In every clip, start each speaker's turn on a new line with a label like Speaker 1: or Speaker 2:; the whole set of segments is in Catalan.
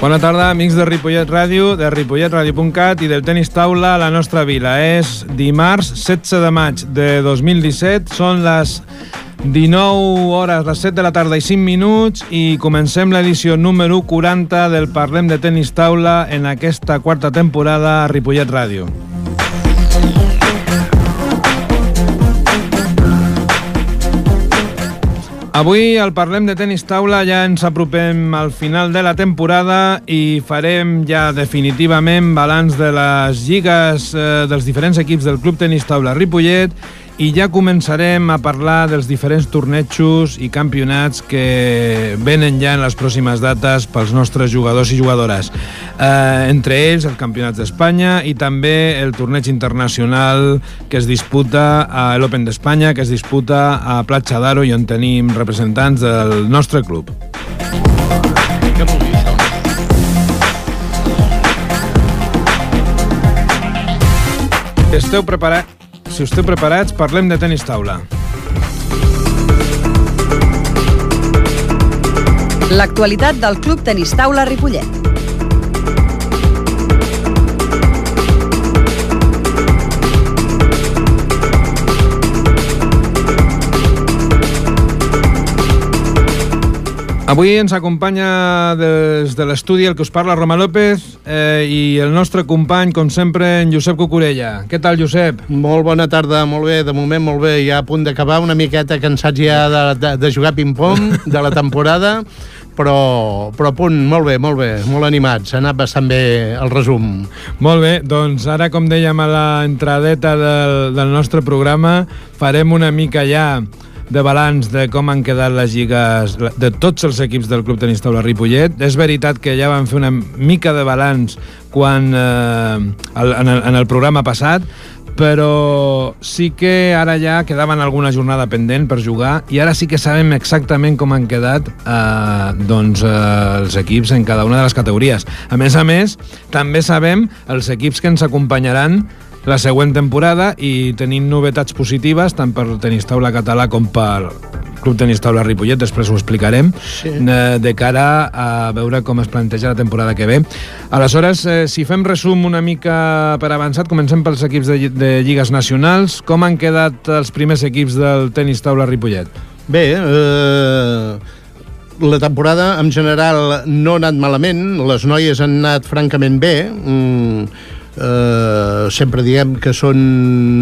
Speaker 1: Bona tarda, amics de Ripollet Ràdio, de ripolletradio.cat i del tenis taula a la nostra vila. És dimarts 16 de maig de 2017, són les 19 hores, les 7 de la tarda i 5 minuts i comencem l'edició número 40 del Parlem de Tenis Taula en aquesta quarta temporada a Ripollet Ràdio. Avui al Parlem de Tenis Taula ja ens apropem al final de la temporada i farem ja definitivament balanç de les lligues dels diferents equips del Club Tenis Taula Ripollet i ja començarem a parlar dels diferents tornejos i campionats que venen ja en les pròximes dates pels nostres jugadors i jugadores. Entre ells el Campionat d'Espanya i també el torneig internacional que es disputa a l'Open d'Espanya, que es disputa a Platja d'Aro i on tenim representants del nostre club.
Speaker 2: Què vol dir això?
Speaker 1: Si esteu preparats, parlem de tenis taula.
Speaker 3: L'actualitat del Club Tenis Taula Ripollet.
Speaker 1: Avui ens acompanya des de l'estudi el que us parla Roma López i el nostre company, com sempre, en Josep Cucurella. Què tal, Josep?
Speaker 2: Molt bona tarda, molt bé, de moment molt bé, ja a punt d'acabar, una miqueta cansats ja de jugar ping-pong de la temporada, però a punt, molt bé, molt animats, ha anat bastant bé el resum.
Speaker 1: Molt bé, doncs ara, com dèiem a l'entradeta del nostre programa, farem una mica ja de balanç de com han quedat les lligues de tots els equips del Club Tenis Taula Ripollet. És veritat que ja vam fer una mica de balanç quan en el programa passat, però sí que ara ja quedaven alguna jornada pendent per jugar i ara sí que sabem exactament com han quedat els equips en cada una de les categories. A més, també sabem els equips que ens acompanyaran la següent temporada i tenim novetats positives tant per Tenis Taula Català com per Club Tenis Taula Ripollet, després ho explicarem, sí, de cara a veure com es planteja la temporada que ve. Aleshores, si fem resum una mica per avançat, comencem pels equips de lligues nacionals. Com han quedat els primers equips del Tenis Taula Ripollet?
Speaker 2: Bé, la temporada en general no ha anat malament, les noies han anat francament bé, sempre diem que són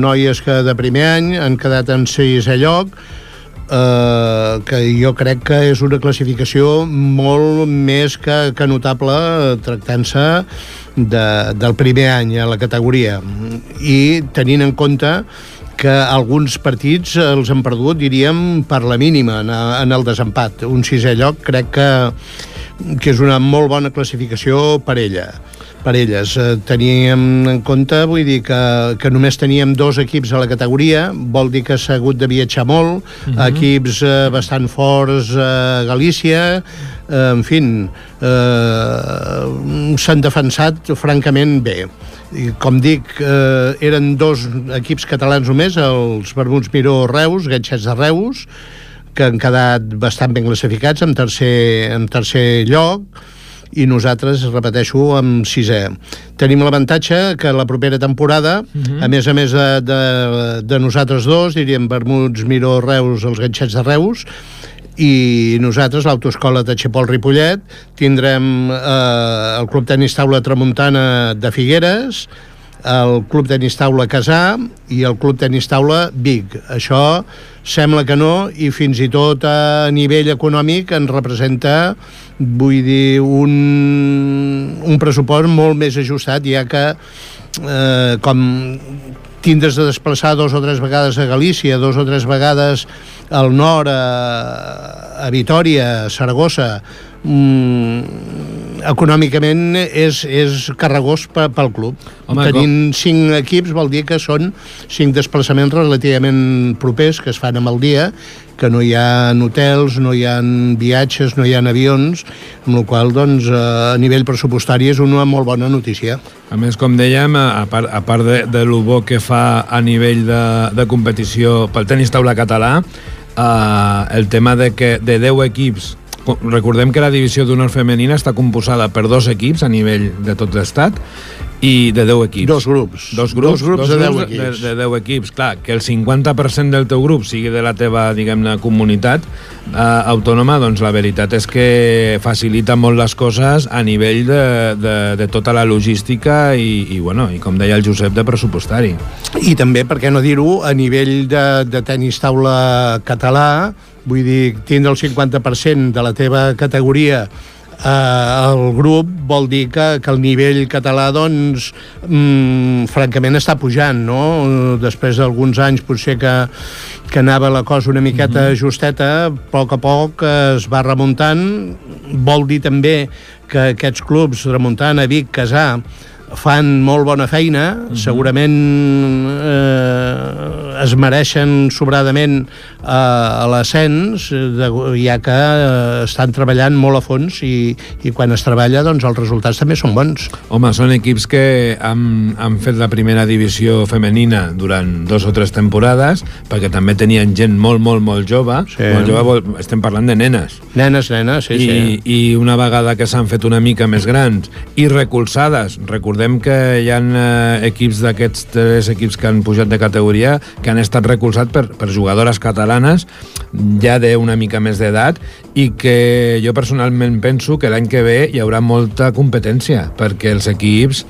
Speaker 2: noies que de primer any han quedat en 6è lloc, que jo crec que és una classificació molt més que notable tractant-se del primer any a la categoria i tenint en compte que alguns partits els han perdut, diríem, per la mínima en el desempat. Un 6è lloc crec que és una molt bona classificació per elles. Teníem en compte, vull dir que només teníem 2 equips a la categoria, vol dir que s'ha hagut de viatjar molt, equips bastant forts a Galícia, en fi, s'han defensat francament bé. Com dic, eren 2 equips catalans només, els Vermuts Miró Reus, Ganxets de Reus, que han quedat bastant ben classificats en tercer lloc, i nosaltres, repeteixo, amb 6è. Tenim l'avantatge que la propera temporada, a més de nosaltres dos, diríem Vermuts Miró Reus, els Ganxets de Reus, i nosaltres, l'Autoescola Tachepol Ripollet, tindrem el Club Tenis Taula Tramuntana de Figueres, el Club Tenis Taula Casà i el Club Tenis Taula Vic. Això sembla que no, i fins i tot a nivell econòmic ens representa, vull dir, un pressupost molt més ajustat, ja que com tindres de desplaçar 2 o 3 vegades a Galícia, 2 o 3 vegades al nord, a Vitòria, a Saragossa, econòmicament és carregós pel club. Tenint 5 equips vol dir que són 5 desplaçaments relativament propers que es fan amb el dia, que no hi ha hotels, no hi ha viatges, no hi ha avions, amb la qual cosa, doncs, a nivell pressupostari és una molt bona notícia.
Speaker 1: A més, com dèiem, a part de lo bo que fa a nivell de competició pel tenis taula català, el tema de 10 equips recordem que la divisió d'honor femenina està composada per 2 equips a nivell de tot l'estat i de 10 equips.
Speaker 2: Dos grups de 10 equips.
Speaker 1: De 10 equips. Clar, que el 50% del teu grup sigui de la teva, diguem-ne, comunitat autònoma, doncs la veritat és que facilita molt les coses a nivell de tota la logística i com deia el Josep, de pressupostari.
Speaker 2: I també, per què no dir-ho, a nivell de tenis taula català, vull dir, tindre el 50% de la teva categoria el grup vol dir que el nivell català doncs francament està pujant, no? Després d'alguns anys potser que anava la cosa una miqueta justeta, a poc es va remuntant. Vol dir també que aquests clubs, remuntant a Vic, Casà, fan molt bona feina, segurament es mereixen sobradament a l'ascens, ja que estan treballant molt a fons i quan es treballa doncs els resultats també són bons.
Speaker 1: Home, són equips que han fet la primera divisió femenina durant 2 o 3 temporades, perquè també tenien gent molt jove, molt jove, estem parlant de nenes.
Speaker 2: Nenes, sí.
Speaker 1: I una vegada que s'han fet una mica més grans i recolzades, recordem que hi ha equips d'aquests 3 equips que han pujat de categoria que han estat recolzats per jugadores catalanes ja d'una mica més d'edat i que jo personalment penso que l'any que ve hi haurà molta competència, perquè els equips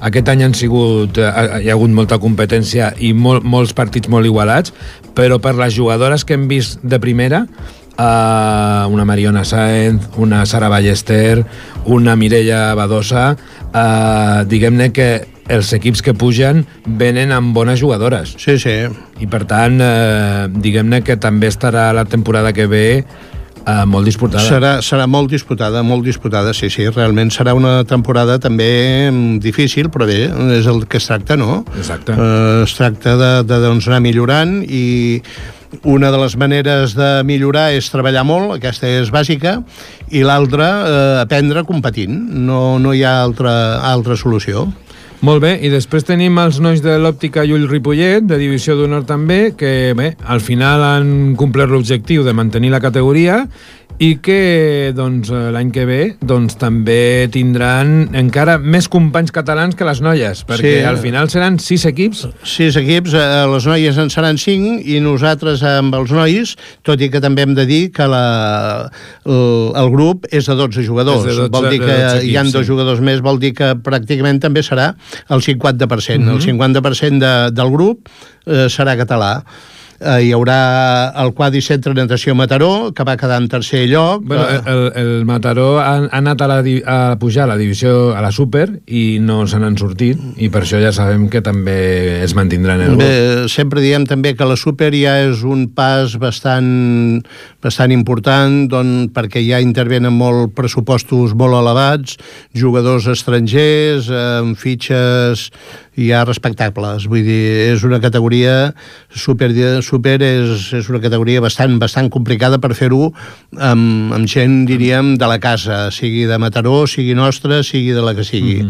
Speaker 1: aquest any hi ha hagut molta competència i molts partits molt igualats, però per les jugadores que hem vist de primera, una Mariona Sáenz, una Sara Ballester, una Mireia Badosa, diguem-ne que els equips que pugen venen amb bones jugadores.
Speaker 2: Sí.
Speaker 1: I per tant, diguem-ne que també estarà la temporada que ve molt disputada.
Speaker 2: Serà molt disputada, sí. Realment serà una temporada també difícil, però bé, és el que es tracta, no?
Speaker 1: Exacte.
Speaker 2: Es tracta de anar millorant i una de les maneres de millorar és treballar molt, aquesta és bàsica, i l'altra, aprendre competint. No hi ha altra solució.
Speaker 1: Molt bé, i després tenim els nois de l'Òptica Llull Ripollet, de divisió d'honor també, que bé, al final han complert l'objectiu de mantenir la categoria i que doncs, l'any que ve doncs, també tindran encara més companys catalans que les noies, perquè al final seran 6 equips.
Speaker 2: 6 equips, les noies en seran 5 i nosaltres amb els nois, tot i que també hem de dir que el grup és de 12 jugadors. Vol dir que hi ha 2 jugadors més, vol dir que pràcticament també serà el 50%. El 50% del grup serà català. Hi haurà el Quadricentre Natació Mataró, que va quedar en tercer lloc.
Speaker 1: El Mataró ha anat a pujar a la divisió, a la Super, i no se n'han sortit, i per això ja sabem que també es mantindran el grup.
Speaker 2: Sempre diem també que la Super ja és un pas bastant important, perquè ja intervenen molt pressupostos molt elevats, jugadors estrangers, amb fitxes ja respectables. Vull dir, és una categoria super és una categoria bastant complicada per fer-ho amb gent, diríem, de la casa, sigui de Mataró, sigui nostra, sigui de la que sigui.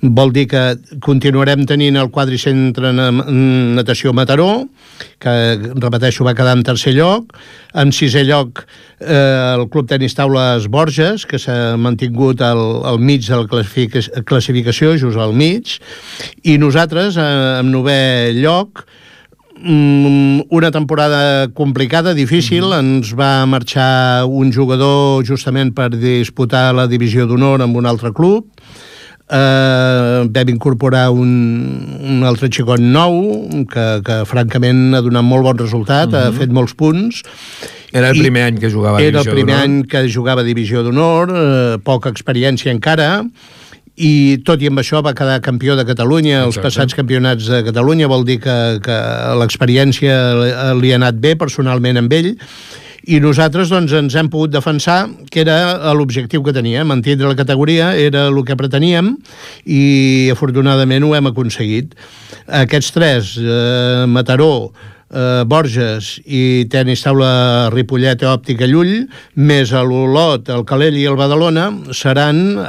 Speaker 2: Vol dir que continuarem tenint el Quadricentre Natació Mataró, que, repeteixo, va quedar en tercer lloc. En sisè lloc, el Club Tenis Taules Borges, que s'ha mantingut al mig de la classificació, just al mig. I nosaltres, en novè lloc, una temporada complicada, difícil. Ens va marxar un jugador justament per disputar la divisió d'honor amb un altre club. Vam incorporar un altre xicot nou que francament ha donat molt bon resultat, ha fet molts punts.
Speaker 1: Era el primer any que jugava a divisió d'honor.
Speaker 2: Era el primer any que jugava a divisió d'honor, poca experiència encara, i tot i amb això va quedar campió de Catalunya. Els passats campionats de Catalunya, vol dir que l'experiència li ha anat bé personalment amb ell, i nosaltres doncs, ens hem pogut defensar, que era l'objectiu que teníem, mantenir la categoria, era el que preteníem, i afortunadament ho hem aconseguit. Aquests 3, Mataró, Borges i Tenis Taula Ripollet, Òptica Llull, més l'Olot, el Calella i el Badalona, seran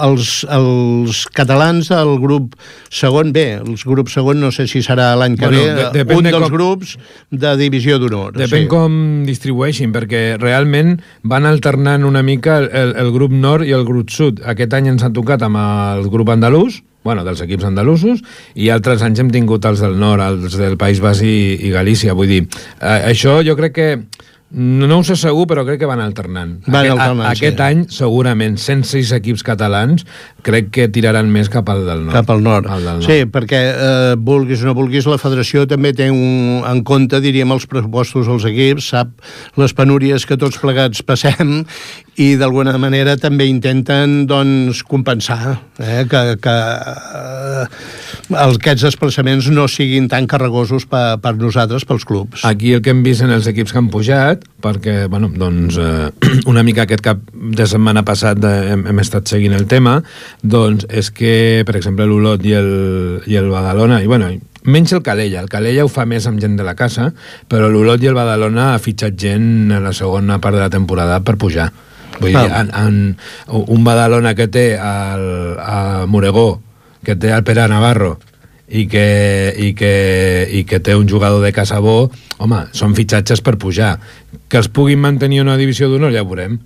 Speaker 2: els catalans del grup segon B. El grup segon no sé si serà l'any que ve, un dels grups de divisió d'honor.
Speaker 1: Depèn com distribueixin, perquè realment van alternant una mica el grup nord i el grup sud. Aquest any ens ha tocat amb el grup andalús, dels equips andalusos, i altres anys hem tingut els del nord, els del País Basc i Galícia. Vull dir, això jo crec que no ho sé segur, però crec que van alternant. Aquest any, segurament, 106 equips catalans, crec que tiraran més cap al del nord.
Speaker 2: Cap al nord. Sí, perquè, vulguis o no vulguis, la federació també té en compte, diríem, els pressupostos dels equips, sap les penúries que tots plegats passem, i d'alguna manera també intenten, doncs, compensar que aquests desplaçaments no siguin tan carregosos per nosaltres, pels clubs.
Speaker 1: Aquí el que hem vist en els equips que han pujat, perquè, una mica aquest cap de setmana passat hem estat seguint el tema, doncs és que, per exemple, l'Olot i el Badalona, i menys el Calella ho fa més amb gent de la casa, però l'Olot i el Badalona ha fitxat gent a la segona part de la temporada per pujar. Vull dir, un Badalona que té a Moregó, que té el Pere Navarro, i que té un jugador de casa bo, home, són fitxatges per pujar. Que els puguin mantenir una divisió d'honor, ja ho veurem.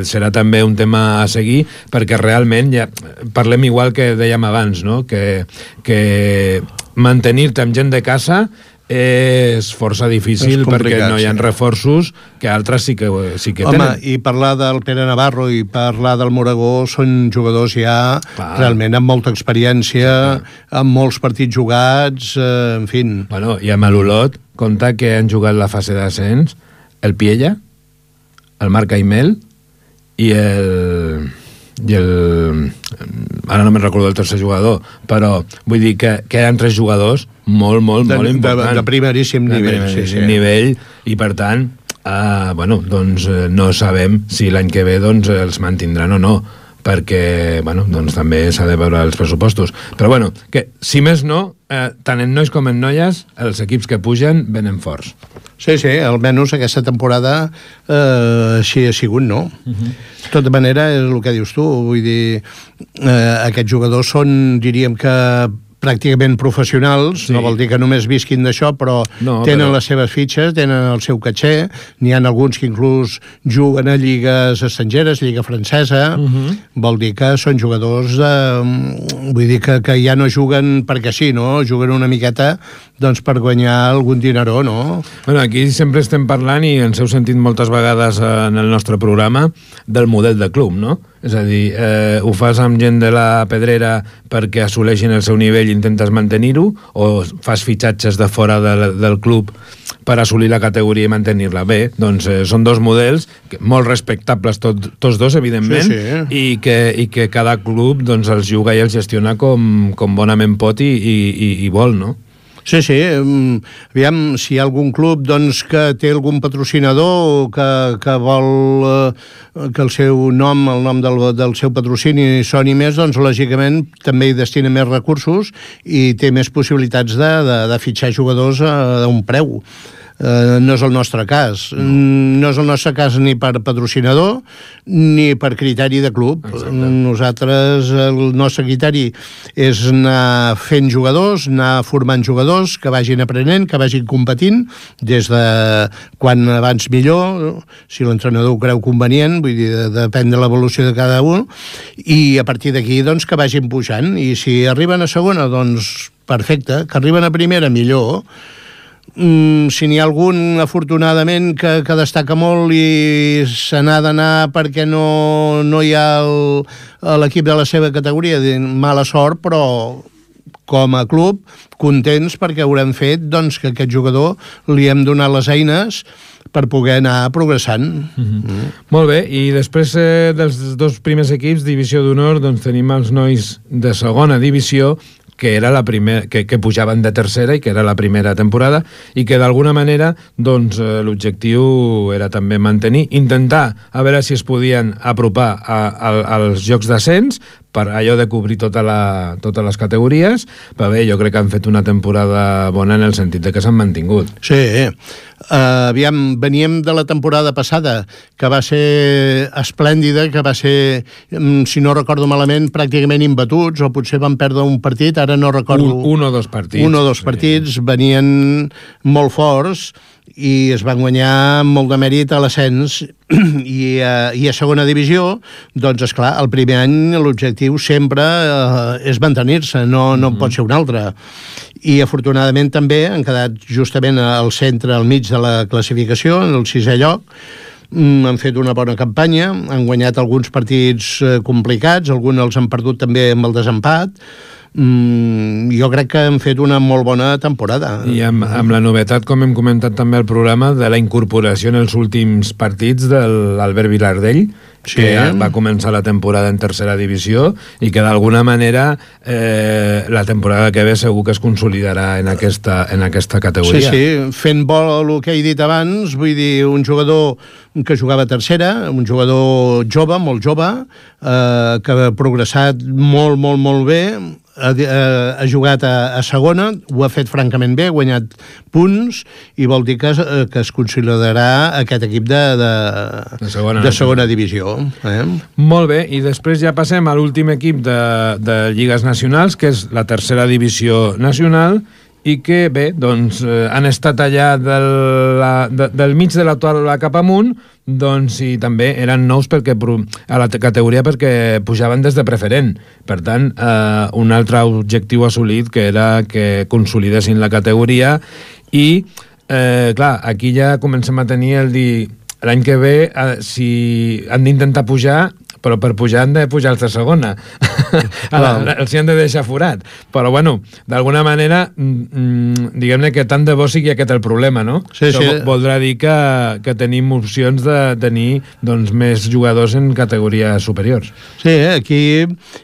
Speaker 1: Serà també un tema a seguir, perquè realment parlem igual que dèiem abans, no? Que mantenir-te amb gent de casa és força difícil, perquè no hi ha reforços que altres sí que tenen.
Speaker 2: Home, i parlar del Pere Navarro i parlar del Moregó són jugadors ja realment amb molta experiència, amb molts partits jugats, en fi.
Speaker 1: I amb l'Olot, compta que han jugat la fase d'ascens el Piella, el Marc Aimel i ara no me'n recordo el tercer jugador, però vull dir que eren 3 jugadors molt importants.
Speaker 2: De primeríssim nivell.
Speaker 1: Nivell, i per tant, no sabem si l'any que ve els mantindran o no, perquè també s'ha de veure els pressupostos. Però que si més no, tant en nois com en noies, els equips que pugen venen forts.
Speaker 2: Sí, almenys aquesta temporada així ha sigut, no? De tota manera, és el que dius tu, vull dir, aquests jugadors són, diríem que pràcticament professionals, no vol dir que només visquin d'això, però tenen les seves fitxes, tenen el seu caché, n'hi ha alguns que inclús juguen a lligues estrangeres, lliga francesa, vol dir que són jugadors, vull dir que ja no juguen perquè sí, no? Juguen una miqueta per guanyar algun dineró, no?
Speaker 1: Aquí sempre estem parlant, i ens heu sentit moltes vegades en el nostre programa, del model de club, no? És a dir, ho fas amb gent de la Pedrera perquè assoleixin el seu nivell i intentes mantenir-ho, o fas fitxatges de fora del club per assolir la categoria i mantenir-la? Bé, doncs són dos models molt respectables tots dos, evidentment, i que cada club els juga i els gestiona com bonament pot i vol, no?
Speaker 2: Sí, aviam, si hi ha algun club que té algun patrocinador que vol que el seu nom, el nom del seu patrocini soni més, lògicament també hi destina més recursos i té més possibilitats de fitxar jugadors a un preu. No és el nostre cas. No és el nostre cas ni per patrocinador ni per criteri de club. Nosaltres, el nostre criteri és anar fent jugadors, anar formant jugadors que vagin aprenent, que vagin competint, des de quan abans millor, si l'entrenador ho creu convenient, vull dir, depèn de l'evolució de cada un, i a partir d'aquí que vagin pujant, i si arriben a segona, perfecte, que arriben a primera, millor. Si n'hi ha algun, afortunadament, que destaca molt i se n'ha d'anar perquè no hi ha l'equip de la seva categoria, mala sort, però com a club contents perquè haurem fet que aquest jugador li hem donat les eines per poder anar progressant.
Speaker 1: Molt bé, i després dels dos primers equips, divisió d'honor, tenim els nois de segona divisió, que era la primera, que pujaven de tercera i que era la primera temporada, i que d'alguna manera l'objectiu era també mantenir, intentar a veure si es podien apropar als jocs d'ascens, per allò de cobrir totes les categories, però bé, jo crec que han fet una temporada bona en el sentit de que s'han mantingut.
Speaker 2: Sí, aviam, veníem de la temporada passada, que va ser esplèndida, que va ser, si no recordo malament, pràcticament imbatuts, o potser van perdre un partit, ara no recordo...
Speaker 1: Un o dos partits.
Speaker 2: Un o dos partits, venien molt forts, i es van guanyar molt de mèrit a l'ascens i a segona divisió, doncs esclar, el primer any l'objectiu sempre és mantenir-se, no pot ser un altre. I afortunadament també han quedat justament al centre, al mig de la classificació, en el 6è lloc. Han fet una bona campanya, han guanyat alguns partits complicats, alguns els han perdut també amb el desempat. Jo crec que han fet una molt bona temporada.
Speaker 1: I amb la novetat, com hem comentat també al programa, de la incorporació en els últims partits de l'Albert Vilardell, que va començar la temporada en tercera divisió i que d'alguna manera la temporada que ve segur que es consolidarà en aquesta categoria.
Speaker 2: Sí, fent bo el que he dit abans, vull dir, un jugador que jugava a tercera, un jugador jove, molt jove, que ha progressat molt, molt, molt bé, ha jugat a segona, ho ha fet francament bé, ha guanyat punts, i vol dir que es considerarà aquest equip de segona divisió.
Speaker 1: Molt bé, i després ja passem a l'últim equip de lligues nacionals, que és la tercera divisió nacional, i que, bé, doncs, han estat allà del mig de la taula cap amunt, doncs, i també eren nous a la categoria perquè pujaven des de preferent. Per tant, un altre objectiu assolit, que era que consolidessin la categoria, i, clar, aquí ja comencem a tenir el dir, l'any que ve, si han d'intentar pujar, però per pujar han de pujar els de segona. Els hi han de deixar forat. Però, bueno, d'alguna manera, diguem-ne que tant de bo sigui aquest el problema, no?
Speaker 2: Sí,
Speaker 1: això
Speaker 2: sí.
Speaker 1: Voldrà dir que tenim opcions de tenir més jugadors en categories superiors.
Speaker 2: Sí, aquí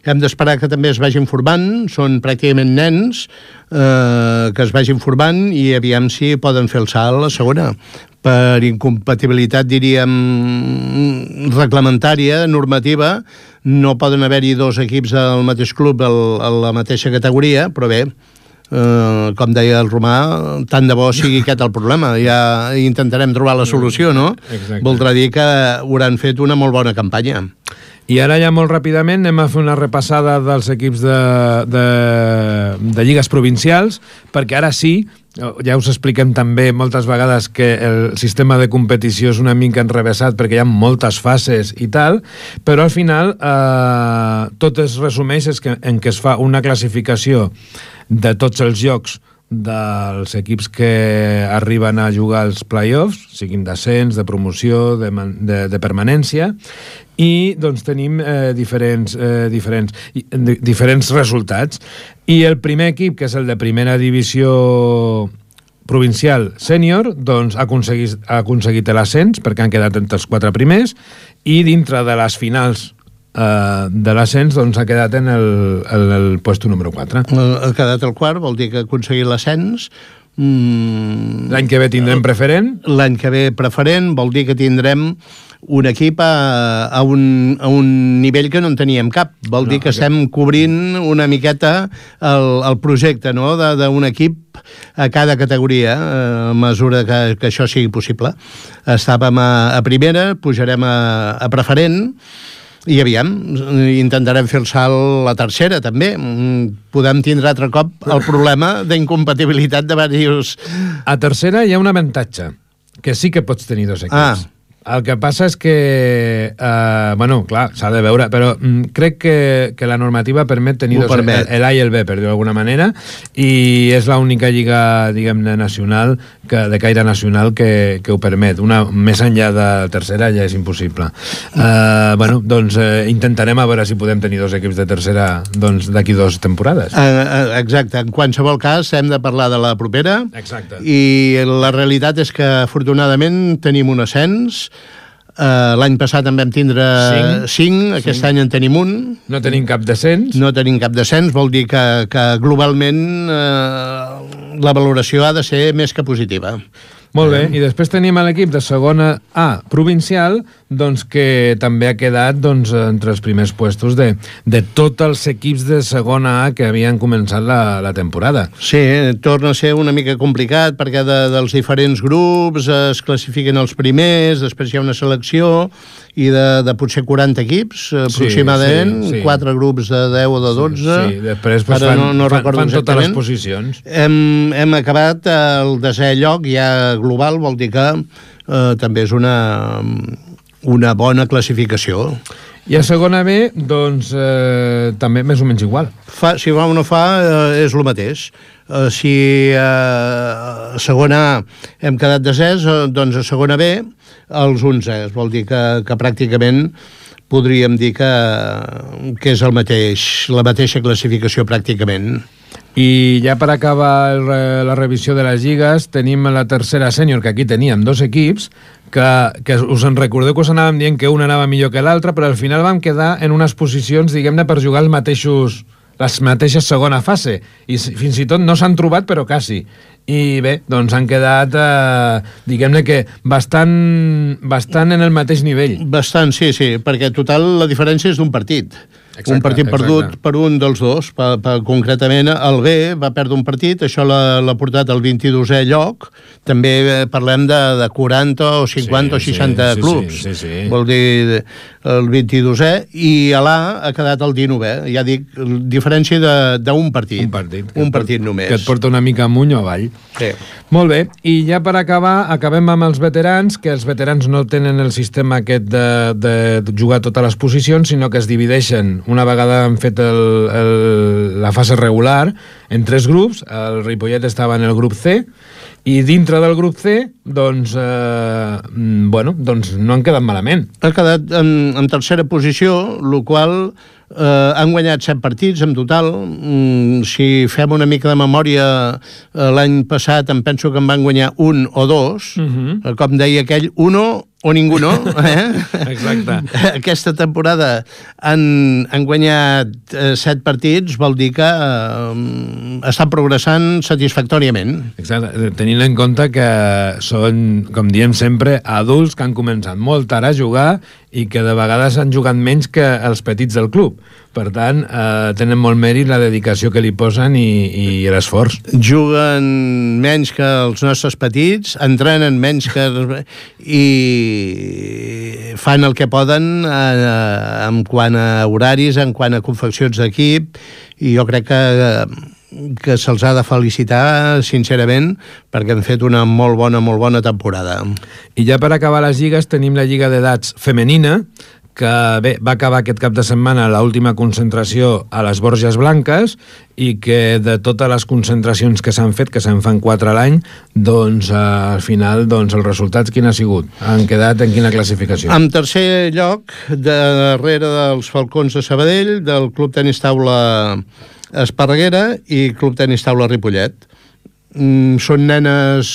Speaker 2: hem d'esperar que també es vagin formant, són pràcticament nens que es vagin formant i aviam si poden fer el salt a la segona. Per incompatibilitat, diríem, reglamentària, normativa, no poden haver-hi dos equips al mateix club a la mateixa categoria, però bé, com deia el Romà, tant de bo sigui aquest el problema. Ja intentarem trobar la solució, no?
Speaker 1: Exacte.
Speaker 2: Voldrà dir que hauran fet una molt bona campanya.
Speaker 1: I ara ja molt ràpidament anem a fer una repassada dels equips de lligues provincials, perquè ara sí, ja us expliquem també moltes vegades que el sistema de competició és una mica enrevessat perquè hi ha moltes fases i tal, però al final tot es resumeix en que es fa una classificació de tots els llocs dels equips que arriben a jugar als play-offs, siguin d'ascens, de promoció, de permanència, i doncs tenim diferents resultats. I el primer equip, que és el de primera divisió provincial sènior, doncs ha aconseguit l'ascens perquè han quedat entre els 4 primers, i dintre de les finals de l'ascens doncs ha quedat en el puesto número 4.
Speaker 2: Ha quedat el quart, vol dir que ha aconseguit l'ascens.
Speaker 1: L'any que ve tindrem preferent?
Speaker 2: L'any que ve preferent vol dir que tindrem un equip a un nivell que no en teníem cap. Vol dir que estem cobrint una miqueta el projecte, no?, d'un equip a cada categoria, a mesura que això sigui possible. Estàvem a primera, pujarem a preferent, i aviam, intentarem fer el salt a la tercera, també. Podem tindre altre cop el problema d'incompatibilitat de diversos...
Speaker 1: A tercera hi ha un avantatge, que sí que pots tenir dos equips. El que passa és que, bueno, clar, s'ha de veure, però crec que la normativa permet tenir l'A i el B, per dir-ho d'alguna manera, i és l'única lliga, diguem-ne, nacional, de caire nacional, que ho permet. Una més enllà de tercera ja és impossible. Bueno, doncs intentarem a veure si podem tenir dos equips de tercera d'aquí 2 temporades.
Speaker 2: Exacte. En qualsevol cas, hem de parlar de la propera.
Speaker 1: Exacte.
Speaker 2: I la realitat és que, afortunadament, tenim un ascens. L'any passat en vam tindre 5, aquest any en tenim un.
Speaker 1: No tenim cap descens.
Speaker 2: No tenim cap descens, vol dir que globalment la valoració ha de ser més que positiva.
Speaker 1: Molt bé, i després tenim l'equip de segona A provincial, doncs, que també ha quedat doncs, entre els primers puestos de tots els equips de segona A que havien començat la temporada.
Speaker 2: Sí, torna a ser una mica complicat perquè dels diferents grups es classifiquen els primers, després hi ha una selecció i de potser 40 equips aproximadament, sí. 4 grups de 10 o de 12.
Speaker 1: Sí, després pues, fan totes les posicions.
Speaker 2: Hem acabat el 10è lloc ja global, vol dir que també és una bona classificació.
Speaker 1: I a segona B, doncs, també més o menys igual.
Speaker 2: Si fa o no fa, és el mateix. Si a segona A hem quedat desès, doncs a segona B els 11. Vol dir que pràcticament podríem dir que és el mateix, la mateixa classificació pràcticament.
Speaker 1: I ja per acabar la revisió de les lligues, tenim la tercera sènior, que aquí teníem 2 equips, que us en recordeu que us anàvem dient que un anava millor que l'altre, però al final vam quedar en unes posicions, diguem-ne, per jugar les mateixes segona fase, i fins i tot no s'han trobat, però quasi. I bé, doncs han quedat, diguem-ne que bastant en el mateix nivell. Bastant,
Speaker 2: sí, perquè total la diferència és d'un partit. Exacte, un partit perdut per un dels dos. Concretament, el B va perdre un partit, això l'ha portat al 22è lloc. També parlem de 40 o 50 o 60 clubs.
Speaker 1: Sí.
Speaker 2: Vol dir el 22è, i a l'A ha quedat el 19è. Ja dic, diferència d'un partit. Un partit només.
Speaker 1: Que et porta una mica amunt o avall.
Speaker 2: Sí.
Speaker 1: Molt bé, i ja per acabar, acabem amb els veterans, que els veterans no tenen el sistema aquest de jugar totes les posicions, sinó que es divideixen. Una vegada han fet la fase regular en 3 grups, el Ripollet estava en el grup C, i dintre del grup C, doncs, doncs no han quedat malament.
Speaker 2: Ha quedat en tercera posició, el qual han guanyat 7 partits en total. Si fem una mica de memòria, l'any passat em penso que en van guanyar 1 o 2, com deia aquell, 1 o ninguno,
Speaker 1: Exacte.
Speaker 2: Aquesta temporada han guanyat 7 partits, vol dir que estan progressant satisfactòriament.
Speaker 1: Exacte, tenint en compte que són, com diem sempre, adults que han començat molt tard a jugar i que de vegades han jugat menys que els petits del club. Per tant, tenen molt mèrit la dedicació que li posen i l'esforç.
Speaker 2: Juguen menys que els nostres petits, entrenen menys que... i fan el que poden en quant a horaris, en quant a confeccions d'equip, i jo crec que se'ls ha de felicitar sincerament perquè han fet una molt bona temporada.
Speaker 1: I ja per acabar les lligues tenim la Lliga d'Edats femenina, que bé, va acabar aquest cap de setmana l'última concentració a les Borges Blanques, i que de totes les concentracions que s'han fet, que se'n fan 4 a l'any, doncs al final doncs, els resultats quin ha sigut? Han quedat en quina classificació?
Speaker 2: En tercer lloc, darrere dels Falcons de Sabadell, del Club Tenis Taula Esparreguera i Club Tenis Taula Ripollet. Són nenes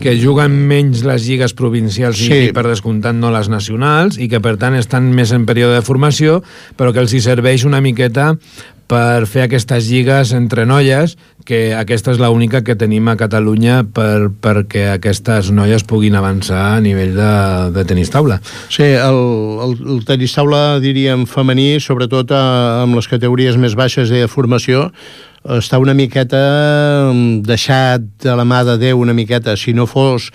Speaker 1: que juguen menys les lligues provincials i per descomptat no les nacionals, i que per tant estan més en període de formació, però que els hi serveix una miqueta per fer aquestes lligues entre noies, que aquesta és l'única que tenim a Catalunya perquè aquestes noies puguin avançar a nivell de tenis taula.
Speaker 2: Sí, el tenis taula, diríem, femení, sobretot amb les categories més baixes de formació, està una miqueta deixat de la mà de Déu una miqueta, si no fos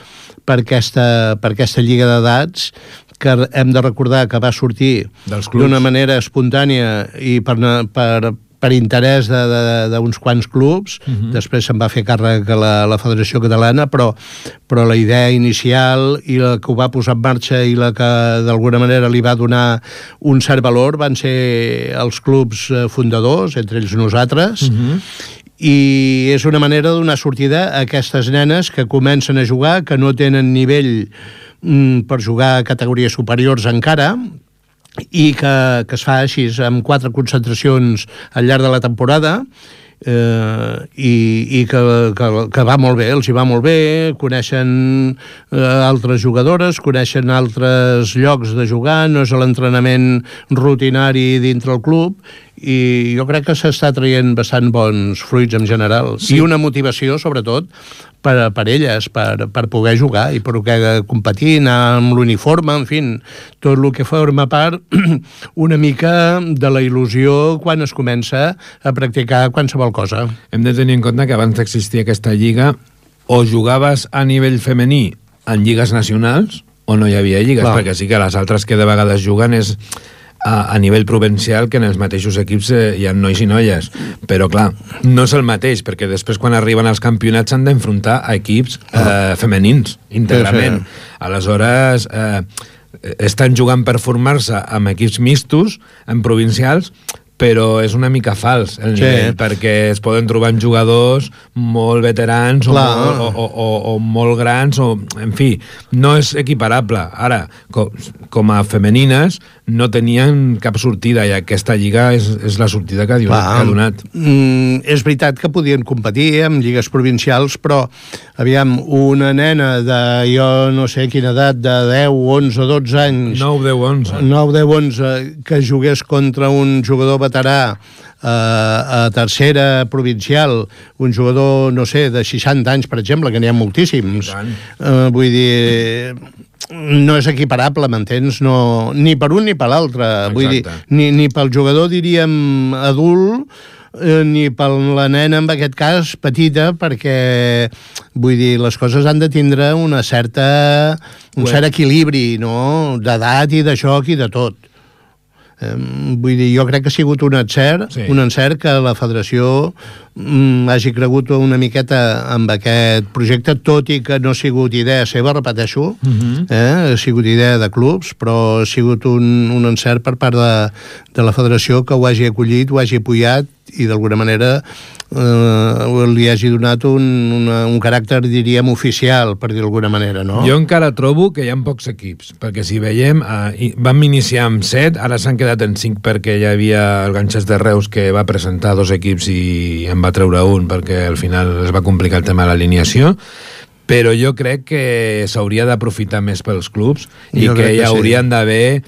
Speaker 2: per aquesta lliga d'edats, que hem de recordar que va sortir d'una manera espontània i per interès d'uns quants clubs. Després se'n va fer càrrec a la Federació Catalana, però la idea inicial i la que ho va posar en marxa i la que d'alguna manera li va donar un cert valor van ser els clubs fundadors, entre ells nosaltres, i és una manera de donar sortida a aquestes nenes que comencen a jugar, que no tenen nivell per jugar a categories superiors encara, i que es fa així amb 4 concentracions al llarg de la temporada, i que va molt bé, els hi va molt bé, coneixen altres jugadores, coneixen altres llocs de jugar, no és l'entrenament rutinari dintre el club, i jo crec que s'està traient bastant bons fruits en general, i una motivació sobretot per elles, per poder jugar i per poder competir, anar amb l'uniforme, en fi, tot el que forma part una mica de la il·lusió quan es comença a practicar qualsevol cosa.
Speaker 1: Hem de tenir en compte que abans d'existir aquesta lliga o jugaves a nivell femení en lligues nacionals o no hi havia lligues, perquè sí que les altres que de vegades juguen és a nivell provincial, que en els mateixos equips hi ha nois i noies, però clar, no és el mateix, perquè després quan arriben als campionats s'han d'enfrontar a equips femenins, íntegrament. Aleshores, estan jugant per formar-se amb equips mixtos, en provincials, però és una mica fals el nivell, perquè es poden trobar jugadors molt veterans o molt grans, o, en fi, no és equiparable. Ara, com a femenines, no tenien cap sortida, i aquesta lliga és la sortida que ha donat.
Speaker 2: És veritat que podien competir amb lligues provincials, però, aviam, una nena de, jo no sé quina edat, de 10, 11, 12 anys...
Speaker 1: 9, 10, 11.
Speaker 2: 9, 10, 11, que jugués contra un jugador veterà a tercera provincial, un jugador, no sé, de 60 anys, per exemple, que n'hi ha moltíssims. Vull dir, no és equiparable, m'entens? No, ni per un ni per l'altre. Vull dir, ni pel jugador, diríem, adult, ni per la nena, en aquest cas, petita, perquè, vull dir, les coses han de tindre un cert equilibri, no?, d'edat i de joc i de tot. Vull dir, jo crec que ha sigut un encert que la federació hagi cregut una miqueta amb aquest projecte, tot i que no ha sigut idea seva, repeteixo, ha sigut idea de clubs, però ha sigut un encert per part de la federació, que ho hagi acollit, ho hagi apoyat i d'alguna manera li hagi donat un caràcter, diríem, oficial, per dir d'alguna manera, no?
Speaker 1: Jo encara trobo que hi ha pocs equips, perquè si veiem, vam iniciar amb 7, ara s'han quedat en 5 perquè hi havia el Ganxes de Reus, que va presentar 2 equips i en va treure un perquè al final es va complicar el tema de l'alineació, però jo crec que s'hauria d'aprofitar més pels clubs i que hi haurien d'haver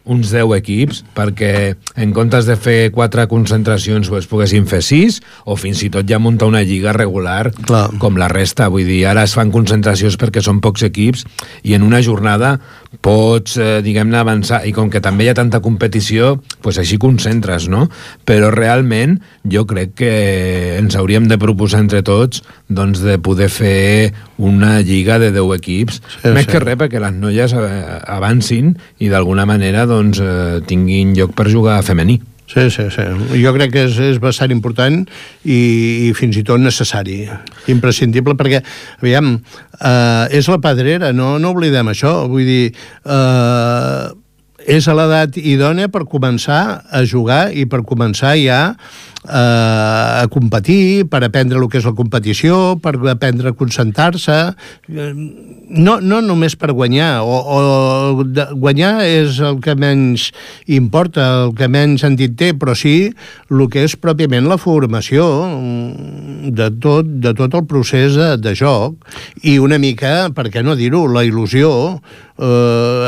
Speaker 1: uns 10 equips, perquè en comptes de fer 4 concentracions pues, poguessin fer 6, o fins i tot ja muntar una lliga regular com la resta. Vull dir, ara es fan concentracions perquè són pocs equips i en una jornada pots, diguem-ne, avançar, i com que també hi ha tanta competició, pues així concentres, no? Però realment jo crec que ens hauríem de proposar entre tots doncs, de poder fer una lliga de 10 equips, més que res perquè les noies avancin i d'alguna manera doncs, tinguin lloc per jugar a femení.
Speaker 2: Sí. Jo crec que és bastant important i fins i tot necessari, imprescindible, perquè, aviam, és la pedrera, no oblidem això, vull dir, és a l'edat idònia per començar a jugar i per començar ja a competir, per aprendre el que és la competició, per aprendre a concentrar-se, no només per guanyar, o guanyar és el que menys importa, el que menys sentit té, però sí el que és pròpiament la formació de tot el procés de joc, i una mica, per què no dir-ho, la il·lusió.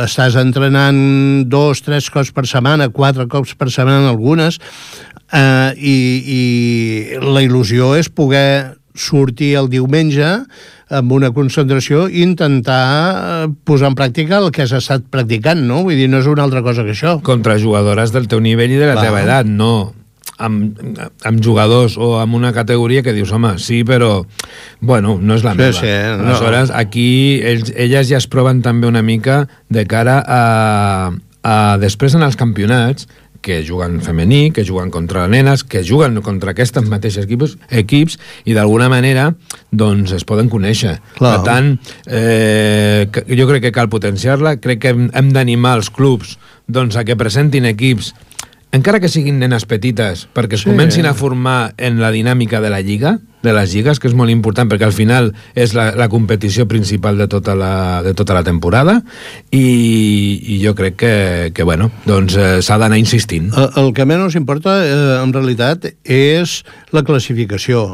Speaker 2: Estàs entrenant 2, 3 cops per setmana, 4 cops per setmana algunes, i la il·lusió és poder sortir el diumenge amb una concentració i intentar posar en pràctica el que has estat practicant, no? Vull dir, no és una altra cosa que això.
Speaker 1: Contra jugadores del teu nivell i de la teva edat, no amb jugadors o amb una categoria que dius, home, sí, però bueno, no és la meva. Aleshores, aquí elles ja es proven també una mica de cara a després en els campionats, que juguen femení, que juguen contra nenes, que juguen contra aquestes mateixes equips i d'alguna manera doncs es poden conèixer. Per tant, jo crec que cal potenciar-la, crec que hem d'animar els clubs doncs, a que presentin equips, encara que siguin nenes petites, perquè es comencin a formar en la dinàmica de la lliga, de les lligues, que és molt important, perquè al final és la competició principal de tota la temporada, i jo crec que bueno, doncs s'ha d'anar insistint.
Speaker 2: El que menys importa, en realitat, és la classificació.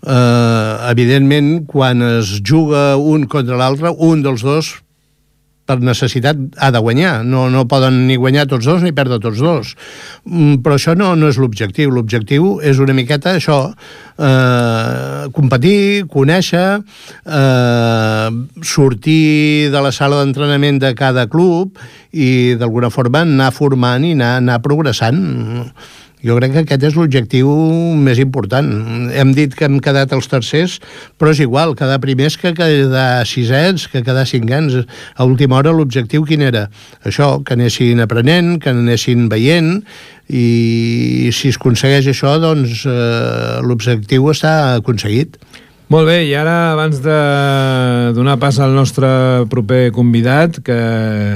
Speaker 2: Evidentment, quan es juga un contra l'altre, un dels dos per necessitat ha de guanyar, no poden ni guanyar tots dos ni perdre tots dos, però això no és l'objectiu és una miqueta això, competir, conèixer, sortir de la sala d'entrenament de cada club i d'alguna forma anar formant i anar progressant. Jo crec que aquest és l'objectiu més important. Hem dit que hem quedat els tercers, però és igual, quedar primers que quedar sisens, que quedar cinquens. A última hora l'objectiu quin era? Això, que anessin aprenent, que anessin veient, i si es aconsegueix això, doncs l'objectiu està aconseguit.
Speaker 1: Molt bé, i ara, abans de donar pas al nostre proper convidat, que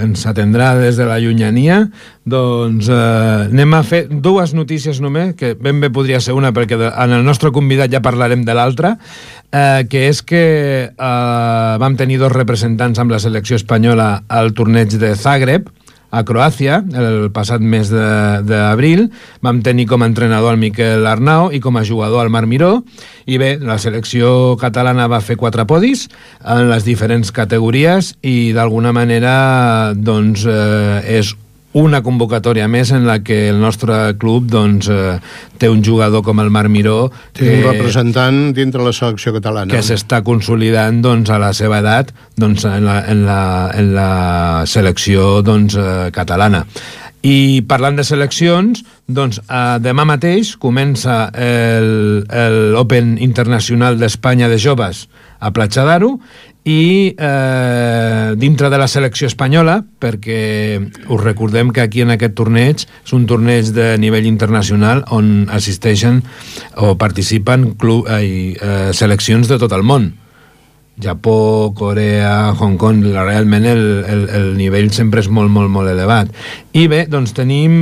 Speaker 1: ens atendrà des de la llunyania, doncs anem a fer dues notícies només, que ben bé podria ser una, perquè en el nostre convidat ja parlarem de l'altra, que és que vam tenir dos representants amb la selecció espanyola al torneig de Zagreb, a Croàcia, el passat mes d'abril. Vam tenir com a entrenador el Miquel Arnau i com a jugador el Marc Miró, i bé, la selecció catalana va fer 4 podis en les diferents categories i d'alguna manera doncs és una convocatòria més en la que el nostre club doncs, té un jugador com el Marc Miró,
Speaker 2: un representant dintre la selecció catalana,
Speaker 1: que s'està consolidant doncs, a la seva edat doncs, en la selecció doncs, catalana. I parlant de seleccions, doncs, demà mateix comença l'Open Internacional d'Espanya de Joves a Platja d'Aro, i dintre de la selecció espanyola, perquè us recordem que aquí en aquest torneig és un torneig de nivell internacional on assisteixen o participen seleccions de tot el món. Japó, Corea, Hong Kong, realment el nivell sempre és molt, molt, molt elevat. I bé, doncs tenim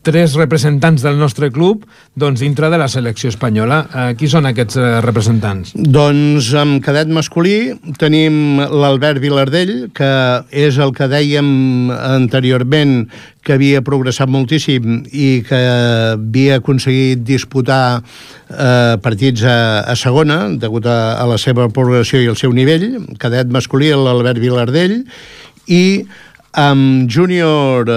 Speaker 1: tres representants del nostre club doncs, dintre de la selecció espanyola. Qui són aquests representants?
Speaker 2: Doncs en cadet masculí tenim l'Albert Vilardell, que és el que dèiem anteriorment, que havia progressat moltíssim i que havia aconseguit disputar partits a segona, degut a la seva progressió i el seu nivell. Cadet masculí, l'Albert Vilardell, i amb júnior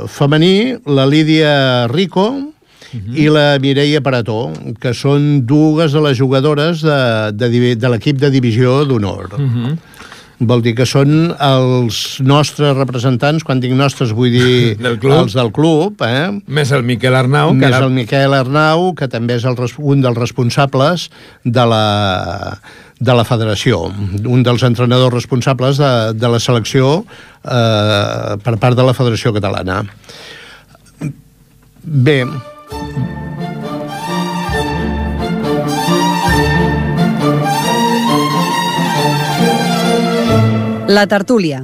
Speaker 2: femení, la Lídia Rico i la Mireia Parató, que són dues de les jugadores de l'equip de divisió d'honor. Vol dir que són els nostres representants, quan dic nostres vull dir els del club.
Speaker 1: Més el Miquel Arnau.
Speaker 2: Més el Miquel Arnau, que també és un dels responsables de la federació, un dels entrenadors responsables de la selecció per part de la Federació Catalana. Bé.
Speaker 3: La tertúlia.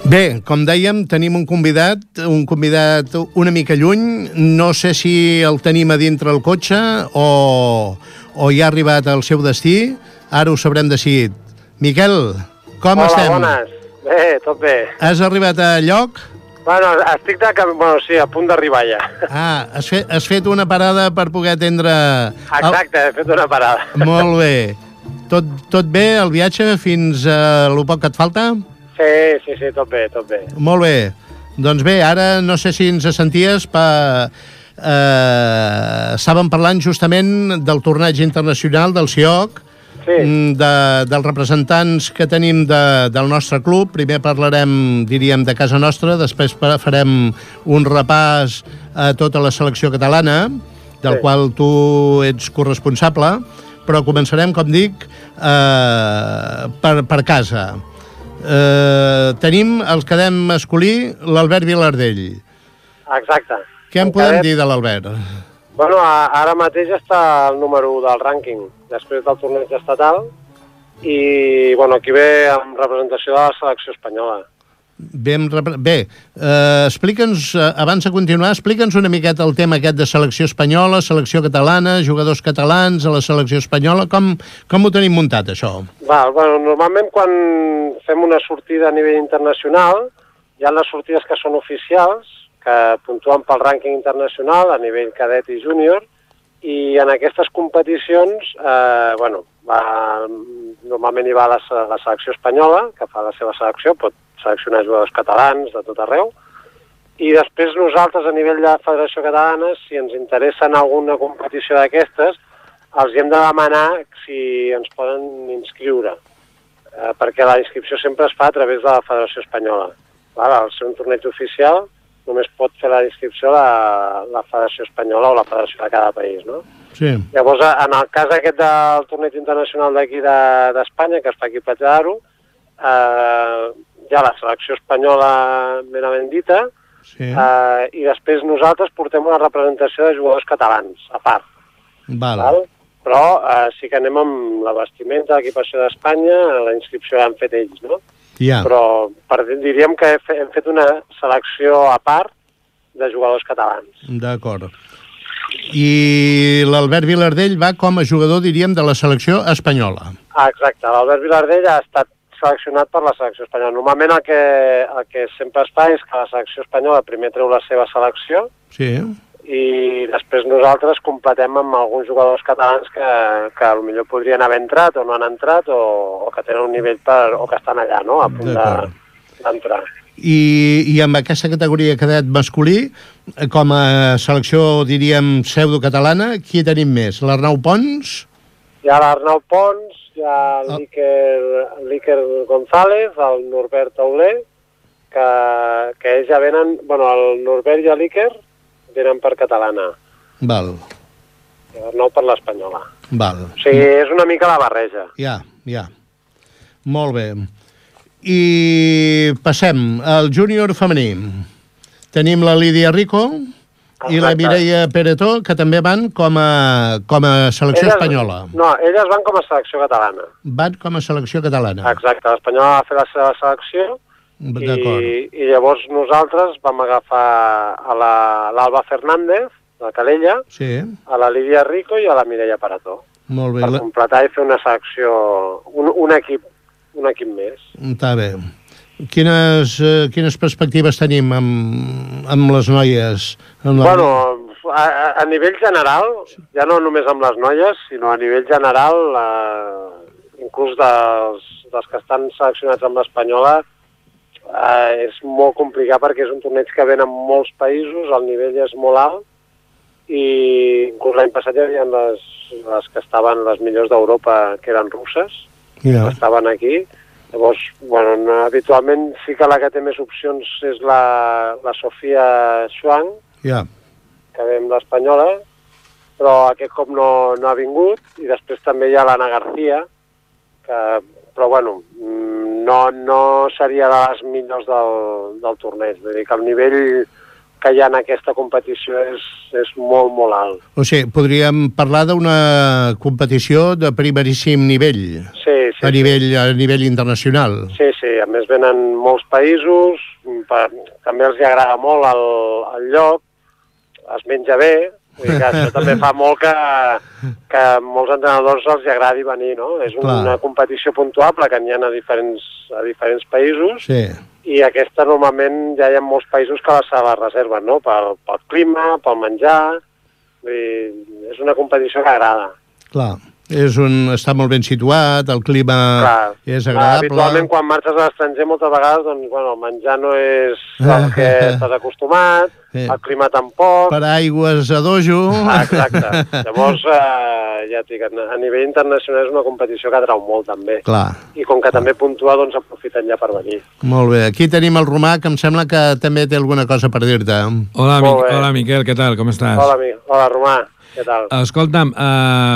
Speaker 2: Bé, com dèiem, tenim un convidat una mica lluny. No sé si el tenim a dintre el cotxe o ja ha arribat al seu destí. Ara ho sabrem decidit. Miquel, com estem?
Speaker 4: Hola, bones. Bé, tot bé.
Speaker 2: Has arribat a lloc?
Speaker 4: Bueno, estic sí, a punt d'arribar ja.
Speaker 2: Has fet una parada per poder atendre...
Speaker 4: Exacte, he fet una parada.
Speaker 2: Molt bé. Tot bé, el viatge, fins a lo poc que et falta?
Speaker 4: Sí, tot bé.
Speaker 2: Molt bé. Doncs bé, ara no sé si ens senties estàvem parlant justament del torneig internacional del CIOC, dels representants que tenim del nostre club. Primer parlarem, diríem, de casa nostra, després farem un repàs a tota la selecció catalana, del qual tu ets corresponsable, però començarem, com dic, per casa. Tenim el cadet masculí, l'Albert Vilardell.
Speaker 4: Exacte.
Speaker 2: Què en podem dir de l'Albert?
Speaker 4: Bueno, ara mateix està el número 1 del rànquing, després del torneig estatal, i bueno, aquí ve amb representació de la selecció espanyola.
Speaker 2: Bé, explica'ns, abans de continuar, explica'ns una miqueta el tema aquest de selecció espanyola, selecció catalana, jugadors catalans a la selecció espanyola. Com ho tenim muntat, això?
Speaker 4: Bueno, normalment quan fem una sortida a nivell internacional, hi ha les sortides que són oficials, que puntuen pel rànquing internacional a nivell cadet i júnior, i en aquestes competicions, normalment hi va la selecció espanyola, que fa la seva selecció, pot seleccionar jugadors catalans de tot arreu, i després nosaltres, a nivell de Federació Catalana, si ens interessa en alguna competició d'aquestes, els hem de demanar si ens poden inscriure, perquè la inscripció sempre es fa a través de la Federació Espanyola. Al ser un torneig oficial, només pot fer la inscripció la Federació Espanyola o la Federació de cada país, no?
Speaker 2: Sí.
Speaker 4: Llavors, en el cas aquest del torneig internacional d'aquí d'Espanya, que es fa aquí a Platja d'Aro, hi ha la selecció espanyola ben dita, i després nosaltres portem una representació de jugadors catalans, a part. Val? Però sí que anem amb la vestimenta, l'equipació d'Espanya, la inscripció l'han fet ells, no? Però diríem que hem fet una selecció a part de jugadors catalans.
Speaker 2: D'acord. I l'Albert Vilardell va com a jugador, diríem, de la selecció espanyola.
Speaker 4: Exacte, l'Albert Vilardell ha estat seleccionat per la selecció espanyola. Normalment el que sempre es fa és que la selecció espanyola primer treu la seva selecció, i després nosaltres completem amb alguns jugadors catalans que potser podrien haver entrat o no han entrat o que tenen un nivell o que estan allà, no?, a punt d'entrar.
Speaker 2: I amb aquesta categoria cadet masculí, com a selecció, diríem, pseudo-catalana, qui tenim més? L'Arnau Pons?
Speaker 4: Hi ha l'Arnau Pons, hi ha l'Iker González, el Norbert Tauler, que ells ja venen... Bueno, el Norbert i l'Iker venen per catalana.
Speaker 2: Val.
Speaker 4: I l'Arnau per l'espanyola.
Speaker 2: Val.
Speaker 4: O sigui, és una mica la barreja.
Speaker 2: Ja. Molt bé. I passem al júnior femení. Tenim la Lídia Rico i la Mireia Peretó, que també van com a selecció espanyola.
Speaker 4: No, elles van com a selecció catalana.
Speaker 2: Van com a selecció catalana.
Speaker 4: Exacte, l'espanyola va fer la seva selecció i llavors nosaltres vam agafar a l'Alba Fernández, de Calella, a la Lídia Rico i a la Mireia Peretó.
Speaker 2: Molt bé.
Speaker 4: Per completar i fer una selecció, un equip més.
Speaker 2: Està bé. Quines perspectives tenim amb les noies?
Speaker 4: Bueno, a nivell general, ja no només amb les noies, sinó a nivell general, inclús dels que estan seleccionats amb l'espanyola, és molt complicat perquè és un torneig que ven en molts països, el nivell és molt alt i inclús l'any passat hi havia les que estaven les millors d'Europa, que eren russes, que estaven aquí. Llavors, bueno, habitualment sí que la que té més opcions és la Sofia Xuang, que ve amb l'espanyola, però aquest cop no ha vingut, i després també hi ha l'Anna García, però bueno, no seria de les millors del torneig. Vull dir que el nivell que hi ha en aquesta competició és molt, molt alt.
Speaker 2: O sigui, podríem parlar d'una competició de primeríssim nivell, a nivell internacional.
Speaker 4: Sí, a més venen molts països, també els agrada molt el lloc, es menja bé, vull dir que això també fa molt que molts entrenadors els agradi venir, no? És una competició puntuable que n'hi ha a diferents països, i aquesta normalment ja hi ha molts països que se la reserven, no? Pel clima, pel menjar, és una competició que agrada.
Speaker 2: Clar, està molt ben situat, el clima és agradable.
Speaker 4: Habitualment quan marxes a l'estranger moltes vegades doncs, el menjar no és el que estàs acostumat, el clima tampoc.
Speaker 2: Per aigües a dojo.
Speaker 4: Exacte. Llavors, ja et dic, a nivell internacional és una competició que atrau molt també. I com que també puntua, doncs aprofiten ja per venir.
Speaker 2: Molt bé. Aquí tenim el Romà, que em sembla que també té alguna cosa per dir-te.
Speaker 1: Hola, Miquel, què tal? Com estàs?
Speaker 4: Hola, Romà. Què tal?
Speaker 1: Escolta'm,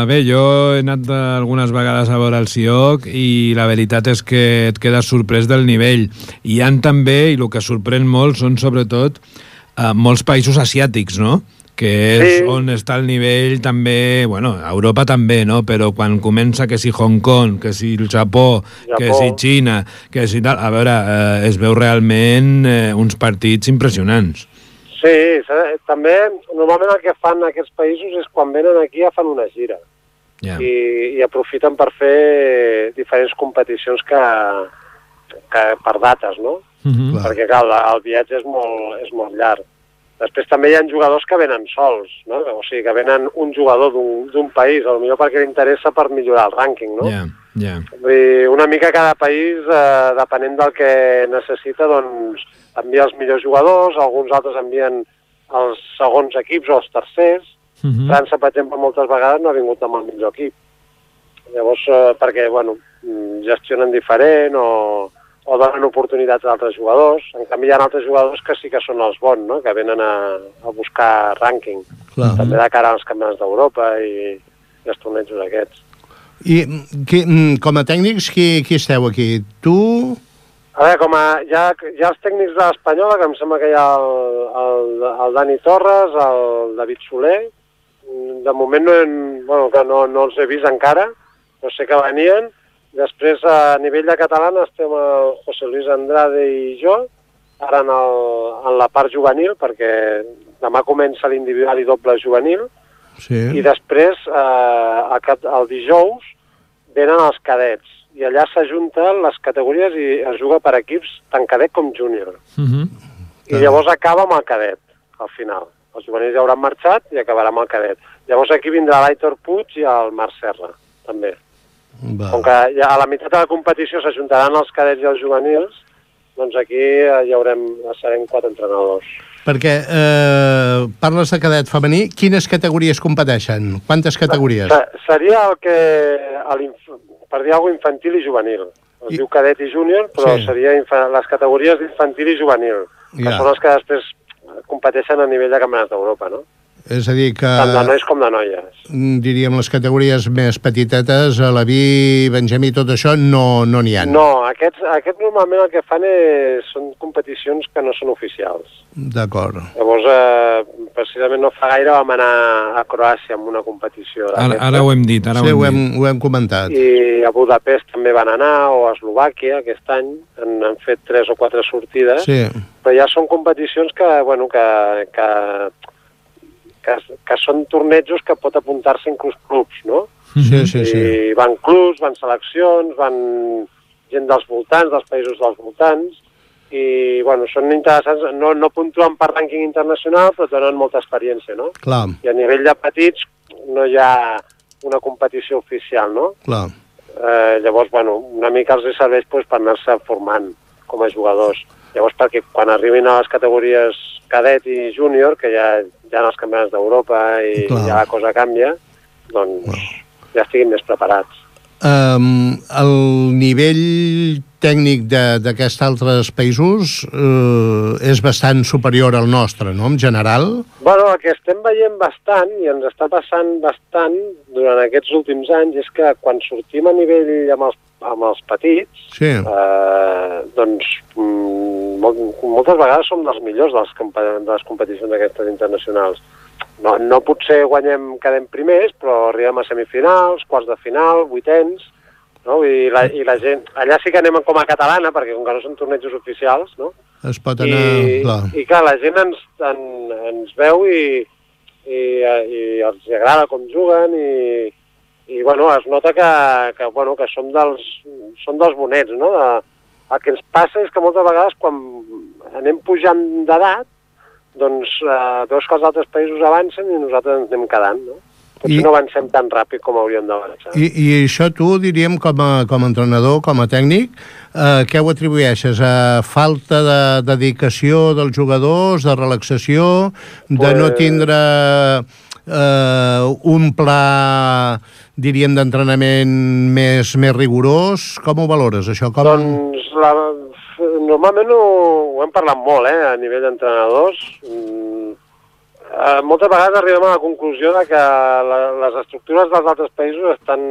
Speaker 1: bé, jo he anat algunes vegades a veure el CIOC i la veritat és que et quedes sorprès del nivell. I hi ha també, i el que sorprèn molt, són sobretot molts països asiàtics, no?, que és on està el nivell també, bueno, a Europa també, no?, però quan comença que si Hong Kong, que si el Japó, que si Xina, que si tal, a veure, es veu realment uns partits impressionants.
Speaker 4: Sí, també normalment el que fan aquests països és quan venen aquí ja fan una gira i aprofiten per fer diferents competicions que per dates, no? Perquè clar, el viatge és molt llarg. Després també hi ha jugadors que venen sols, no? O sigui, que venen un jugador d'un país, potser perquè li interessa per millorar el rànquing, no? Vull dir, una mica cada país, depenent del que necessita, doncs envia els millors jugadors, alguns altres envien els segons equips o els tercers. França, per exemple, moltes vegades no ha vingut amb el millor equip. Llavors, perquè, bueno, gestionen diferent o donen oportunitats a altres jugadors. En canvi, hi ha altres jugadors que sí que són els bons, no? Que venen a buscar rànquing. També de cara als campionats d'Europa i els tornejos aquests.
Speaker 2: I com a tècnics, qui esteu aquí? Tu?
Speaker 4: A veure, hi ha els tècnics de l'Espanyola, que em sembla que hi ha el Dani Torres, el David Soler. De moment no els he vist encara, però sé que venien. Després, a nivell de catalana, estem el José Luis Andrade i jo, ara en la part juvenil, perquè demà comença l'individual i doble juvenil, i després, el dijous, venen els cadets, i allà s'ajunten les categories i es juga per equips tant cadet com júnior. I llavors acaba amb el cadet, al final. Els juvenils ja hauran marxat i acabarà amb el cadet. Llavors aquí vindrà l'Aitor Puig i el Marc Serra, també. Com que ja a la meitat de la competició s'ajuntaran els cadets i els juvenils, doncs aquí serem 4 entrenadors.
Speaker 2: Perquè parles de cadet femení, quines categories competeixen? Quantes categories?
Speaker 4: Seria per dir alguna cosa, infantil i juvenil. Es diu cadet i júnior, però seria les categories d'infantil i juvenil, que són les que després competeixen a nivell de campionats d'Europa, no?
Speaker 2: És a dir que...
Speaker 4: Tant de nois com de noies.
Speaker 2: Diríem, les categories més petitetes, Alaví, Benjamí, tot això, no n'hi ha.
Speaker 4: No, aquests normalment el que fan són competicions que no són oficials.
Speaker 2: D'acord.
Speaker 4: Llavors, precisament no fa gaire vam anar a Croàcia amb una competició.
Speaker 1: Ara ho hem dit,
Speaker 2: ho hem comentat.
Speaker 4: I a Budapest també van anar, o a Eslovàquia aquest any, han fet 3 o 4 sortides, però ja són competicions que són tornejos que pot apuntar-se inclús clubs, no? I van clubs, van seleccions, van gent dels voltants, dels països dels voltants, i, són interessants, no puntuen per rànquing internacional, però tenen molta experiència, no?
Speaker 2: Clar.
Speaker 4: I a nivell de petits no hi ha una competició oficial, no?
Speaker 2: Clar.
Speaker 4: Llavors, una mica els serveix per anar-se formant com a jugadors. Llavors, perquè quan arribin a les categories cadet i júnior, que ja hi ha els campionats d'Europa i ja la cosa canvia, doncs ja estiguin més preparats.
Speaker 2: El nivell tècnic d'aquests altres països és bastant superior al nostre, no?, en general?
Speaker 4: El que estem veient bastant, i ens està passant bastant durant aquests últims anys, és que quan sortim a nivell amb els petits, doncs moltes vegades som dels millors de les competicions aquestes internacionals. No potser quedem primers, però arribem a semifinals, quarts de final, vuitens, no? I la gent... Allà sí que anem com a catalana, perquè com que no són tornejos oficials, no?
Speaker 2: Es pot anar...
Speaker 4: I clar, la gent ens veu i els agrada com juguen i es nota que som dels bonets, no? El que ens passa és que moltes vegades quan anem pujant d'edat, doncs veus que els altres països avancen i nosaltres ens anem quedant, no? Potser no avancem tan ràpid com hauríem d'avançar.
Speaker 2: I això tu, diríem, com a entrenador, com a tècnic, què ho atribueixes? A falta de dedicació dels jugadors, de relaxació, de no tindre un pla, diríem, d'entrenament més rigorós? Com ho valores, això?
Speaker 4: Doncs normalment ho hem parlat molt, a nivell d'entrenadors. Moltes vegades arribem a la conclusió de que les estructures dels altres països estan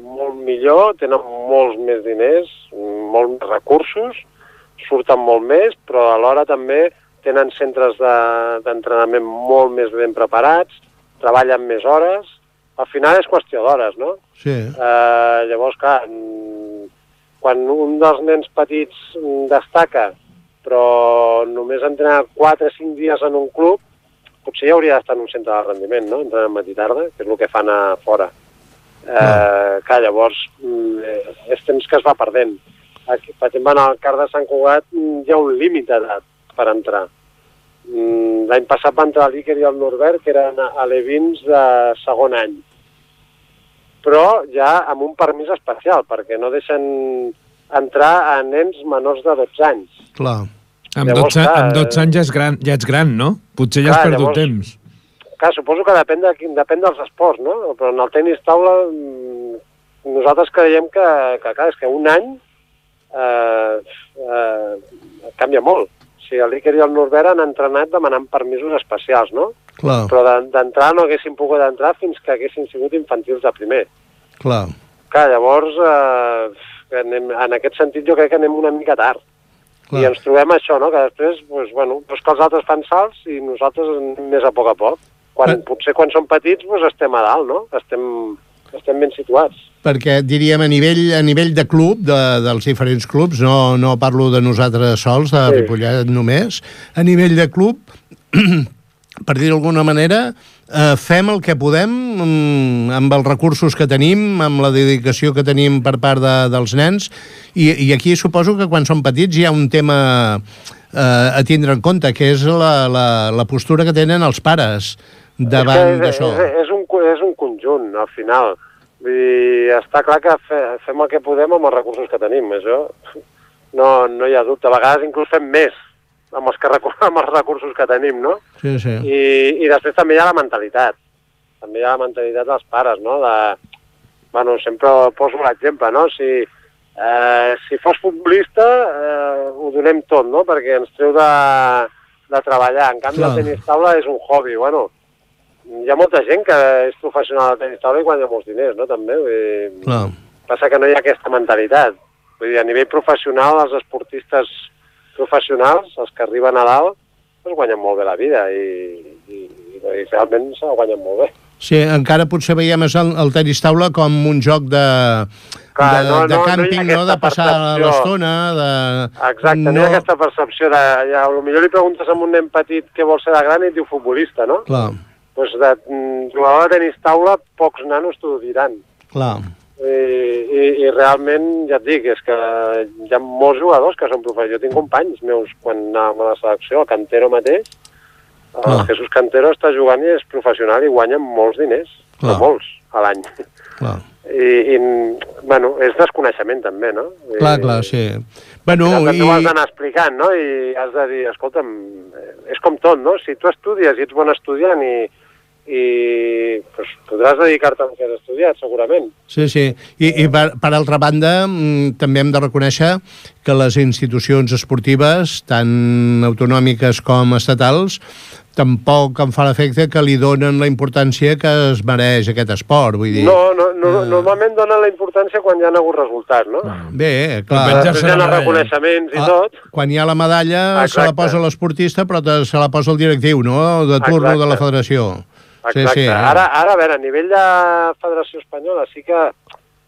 Speaker 4: molt millor, tenen molts més diners, molts més recursos, surten molt més, però alhora també tenen centres d'entrenament molt més ben preparats, treballen més hores. Al final és qüestió d'hores, no?
Speaker 2: Sí.
Speaker 4: Llavors, clar, quan un dels nens petits destaca, però només entrena 4 o 5 dies en un club, potser ja hauria d'estar en un centre de rendiment, no?, entrenant matí i tarda, que és el que fan a fora. Clar, llavors, és temps que es va perdent. Aquí, per exemple, en el CAR de Sant Cugat hi ha un límit d'edat per entrar. L'any passat va entrar l'Iker i el Norbert, que eren alevins de segon any. Però ja amb un permís especial, perquè no deixen entrar a nens menors de 12 anys.
Speaker 2: Clar.
Speaker 1: Amb 12 anys ja ets gran, no? Potser ja has perdut temps.
Speaker 4: Clar, suposo que depèn dels esports, no? Però en el tenis taula nosaltres creiem que clar, és que un any canvia molt. O sigui, l'Iker i el Norbert han entrenat demanant permisos especials, no?
Speaker 2: Clar.
Speaker 4: Però d'entrar no haguessin pogut entrar fins que haguessin sigut infantils de primer.
Speaker 2: Clar.
Speaker 4: Clar, llavors, en aquest sentit jo crec que anem una mica tard. Clar. I ens trobem això, no? Que després, doncs que els altres fan salts i nosaltres anem més a poc. Potser quan som petits estem a dalt, no? Estem ben situats.
Speaker 2: Perquè diríem a nivell de club, dels diferents clubs, no parlo de nosaltres sols, de Ripollet només, a nivell de club, per dir d'alguna manera, fem el que podem amb els recursos que tenim, amb la dedicació que tenim per part dels nens, i aquí suposo que quan són petits hi ha un tema a tindre en compte, que és la postura que tenen els pares davant d'això.
Speaker 4: És un conjunt, al final. Vull dir, està clar que fem el que podem amb els recursos que tenim, això no hi ha dubte. A vegades inclús fem més amb els recursos que tenim, no?
Speaker 2: Sí.
Speaker 4: I després també hi ha la mentalitat. També hi ha la mentalitat dels pares, no? Sempre poso l'exemple, no? Si fos futbolista ho donem tot, no? Perquè ens treu de treballar. En canvi, el tenis taula és un hobby, hi ha molta gent que és professional al tenis taula i guanya molts diners, no? També. Passa que no hi ha aquesta mentalitat. Vull dir, a nivell professional, els esportistes professionals, els que arriben a dalt, guanyen molt bé la vida i realment se la guanyen molt bé.
Speaker 2: Sí, encara potser veiem el tenis taula com un joc de càmping, no? De passar l'estona,
Speaker 4: Exacte, no hi ha aquesta percepció de... Potser li preguntes a un nen petit què vol ser de gran i et diu futbolista, no?
Speaker 2: Clar.
Speaker 4: Doncs de jugador de tenis taula, pocs nanos t'ho diran.
Speaker 2: Clar.
Speaker 4: I realment, ja et dic, és que hi ha molts jugadors que són professionals. Jo tinc companys meus quan anàvem a la selecció, el Cantero mateix, el Jesús Cantero està jugant i és professional i guanya molts diners, però molts a l'any. És desconeixement també, no?
Speaker 2: Clar, sí.
Speaker 4: També ho has d'anar explicant, no? I has de dir, escolta'm, és com tot, no? Si tu estudies i ets bon estudiant i podràs dedicar-te al que has estudiat, segurament.
Speaker 2: Sí. I per altra banda, també hem de reconèixer que les institucions esportives, tant autonòmiques com estatals, tampoc em fa l'efecte que li donen la importància que es mereix aquest esport, vull dir...
Speaker 4: Normalment donen la importància quan hi ha hagut resultat, no?
Speaker 2: Bé, clar...
Speaker 4: Després hi ha els reconeixements i tot.
Speaker 2: Quan hi ha la medalla se la posa l'esportista, però se la posa el directiu, no? De turno de la federació.
Speaker 4: Exacte. Ara, a veure, a nivell de Federació Espanyola, sí que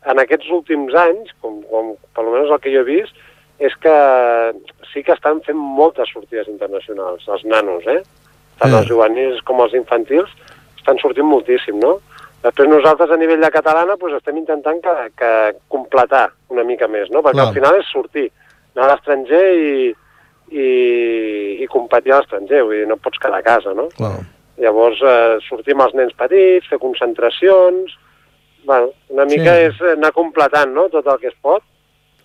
Speaker 4: en aquests últims anys, com per almenys el que jo he vist, és que sí que estan fent moltes sortides internacionals, els nanos, tant els juvenils com els infantils, estan sortint moltíssim, no? Després nosaltres a nivell de catalana estem intentant que completar una mica més, no? Perquè al final és sortir, anar a l'estranger i competir a l'estranger, vull dir, no pots quedar a casa, no?
Speaker 2: Clar.
Speaker 4: Llavors sortim els nens petits, fer concentracions, una mica és anar completant, no?, tot el que es pot,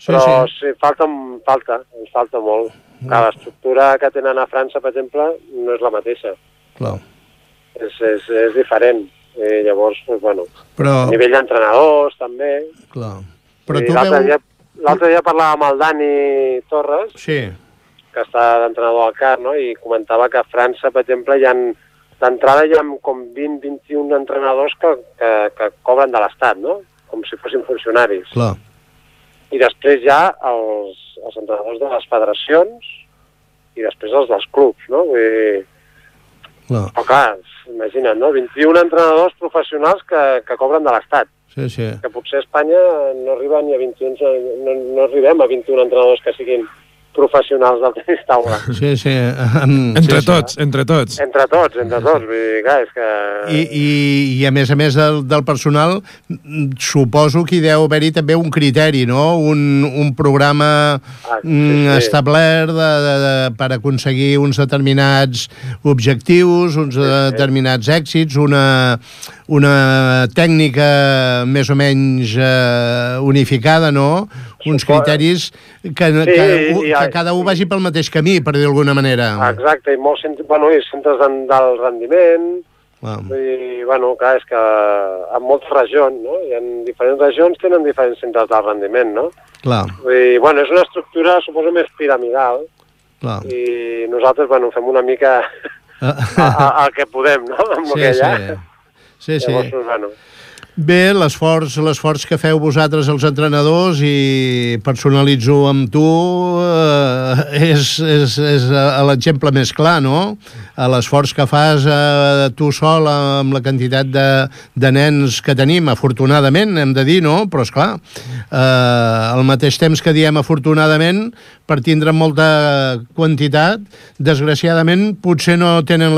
Speaker 4: però sí, ens falta molt. L'estructura que tenen a França, per exemple, no és la mateixa.
Speaker 2: Clar.
Speaker 4: És diferent. I llavors,
Speaker 2: però...
Speaker 4: a nivell d'entrenadors, també.
Speaker 2: Clar. Però
Speaker 4: l'altre dia parlava amb el Dani Torres, que està d'entrenador al CAR, no?, i comentava que a França, per exemple, d'entrada hi ha com 20-21 entrenadors que cobren de l'Estat, no?, com si fossin funcionaris.
Speaker 2: Clar.
Speaker 4: I després hi ha els entrenadors de les federacions i després els dels clubs, no? Però clar, imagina't, no? 21 entrenadors professionals que cobren de l'Estat.
Speaker 2: Sí.
Speaker 4: Que potser a Espanya no arribem a 21 entrenadors que siguin professionals del tenis taula.
Speaker 2: Sí.
Speaker 1: Entre tots.
Speaker 4: Entre tots, vull dir, clar, és que...
Speaker 2: I a més del personal, suposo que hi deu haver-hi també un criteri, no? Un programa establert per aconseguir uns determinats objectius, uns determinats èxits, una tècnica més o menys unificada, no? Uns criteris que cada un vagi pel mateix camí, per dir d'alguna manera.
Speaker 4: Exacte, i molts centres d'alt rendiment. Vull dir, clar, és que en moltes regions, no? I en diferents regions tenen diferents centres d'alt rendiment, no?
Speaker 2: Clar.
Speaker 4: Vull dir, és una estructura, suposo, més piramidal. Clar. I nosaltres, fem una mica el que podem, no? Amb el que hi ha.
Speaker 2: Sí. Llavors, bé, l'esforç que feu vosaltres els entrenadors, i personalitzo amb tu, és l'exemple més clar, no? L'esforç que fas tu sol amb la quantitat de nens que tenim, afortunadament, hem de dir, no? Però, esclar, al mateix temps que diem afortunadament, per tindre molta quantitat, desgraciadament, potser no tenen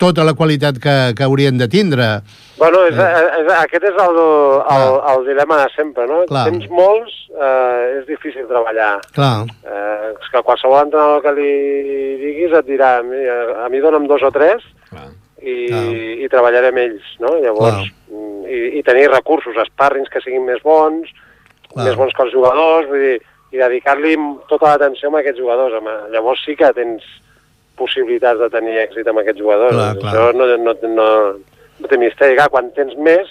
Speaker 2: tota la qualitat que haurien de tindre.
Speaker 4: Aquest és el dilema de sempre, no?
Speaker 2: Clar.
Speaker 4: Tens molts, és difícil treballar.
Speaker 2: Clar.
Speaker 4: És que qualsevol entrenador que li diguis et dirà, a mi dona'm 2 o 3 i treballaré amb ells, no? Llavors, i tenir recursos, sparrings que siguin més bons que els jugadors, vull dir, i dedicar-li tota l'atenció a aquests jugadors. Llavors sí que tens possibilitats de tenir èxit amb aquests jugadors. Això no té misteri. Quan tens més,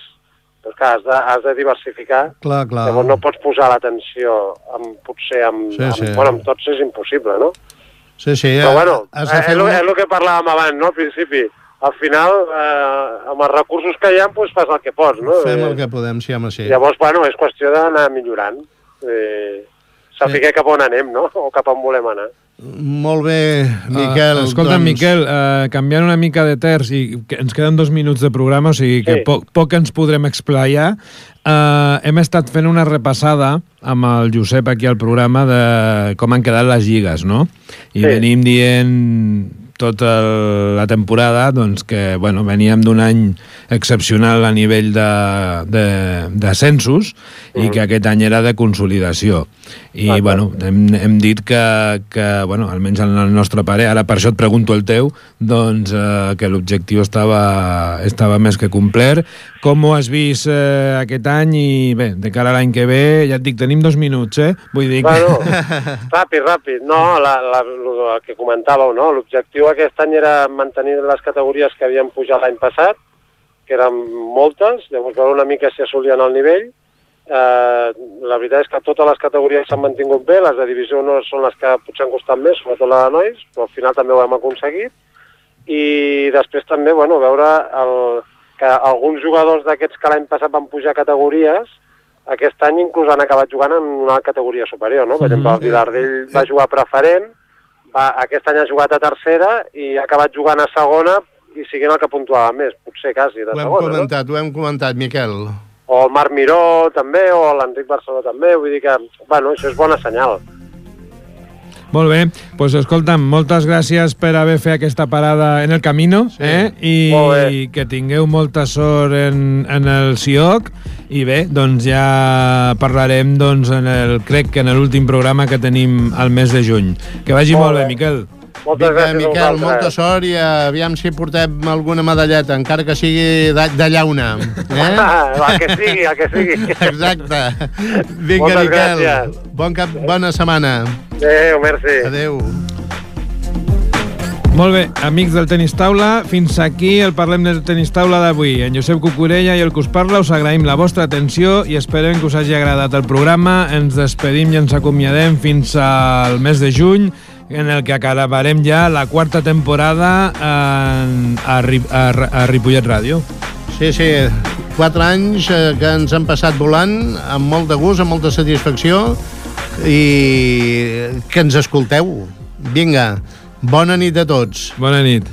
Speaker 4: has de diversificar. Llavors no pots posar l'atenció potser amb tots és impossible, no?
Speaker 2: Sí.
Speaker 4: Però és el que parlàvem abans, no? Al principi. Al final, amb els recursos que hi ha, fas el que pots, no?
Speaker 2: Fem el que podem, sí, home, sí.
Speaker 4: Llavors, és qüestió d'anar millorant. Saber cap on anem, no? O cap on volem anar.
Speaker 2: Molt bé, Miquel.
Speaker 1: Escolta, Miquel, canviant una mica de terç, i ens queden 2 minuts de programa, o sigui que poc ens podrem explaiar. Hem estat fent una repassada amb el Josep aquí al programa de com han quedat les lligues, no? I venim dient tota la temporada que veníem d'un any excepcional a nivell de censos i que aquest any era de consolidació. I hem dit que almenys en el nostre parer, ara per això et pregunto el teu, que l'objectiu estava més que complert. Com ho has vist aquest any? I bé, de cara a l'any que ve, ja et dic, tenim 2 minuts, vull dir que...
Speaker 4: Ràpid. No, el que comentàveu, no? L'objectiu aquest any era mantenir les categories que havien pujat l'any passat, que eren moltes, llavors veure una mica si assolien el nivell. La veritat és que totes les categories s'han mantingut bé, les de divisió 1 són les que potser han costat més, sobretot la de nois, però al final també ho hem aconseguit. I després també, veure que alguns jugadors d'aquests que l'any passat van pujar categories, aquest any inclús han acabat jugant en una categoria superior, no? Per exemple, el Vilardell va jugar preferent, aquest any ha jugat a tercera i ha acabat jugant a segona i siguent el que puntuava més, potser quasi de segona.
Speaker 2: Ho hem comentat, Miquel.
Speaker 4: O el Marc Miró també, o l'Enric Barceló també, vull dir que, això és bona senyal.
Speaker 1: Molt bé, doncs escolta'm, moltes gràcies per haver fet aquesta parada en el Camino, i que tingueu molta sort en el CIOC, i bé, doncs ja parlarem crec que en l'últim programa que tenim al mes de juny. Que vagi molt bé, Miquel.
Speaker 4: Moltes gràcies,
Speaker 2: Miquel, molta sort, i aviam si portem alguna medalleta, encara que sigui de llauna.
Speaker 4: El que sigui.
Speaker 2: Exacte. Vinga, Miquel, bona setmana.
Speaker 4: Adéu, merci.
Speaker 2: Adéu.
Speaker 1: Molt bé, amics del Tenis Taula, fins aquí el Parlem del Tenis Taula d'avui. En Josep Cucurella i el que us parla us agraïm la vostra atenció i esperem que us hagi agradat el programa. Ens despedim i ens acomiadem fins al mes de juny, en el que acabarem ja la 4ª temporada a Ripollet Ràdio.
Speaker 2: Sí, 4 anys que ens han passat volant, amb molt de gust, amb molta satisfacció, i que ens escolteu. Vinga, bona nit a tots.
Speaker 1: Bona nit.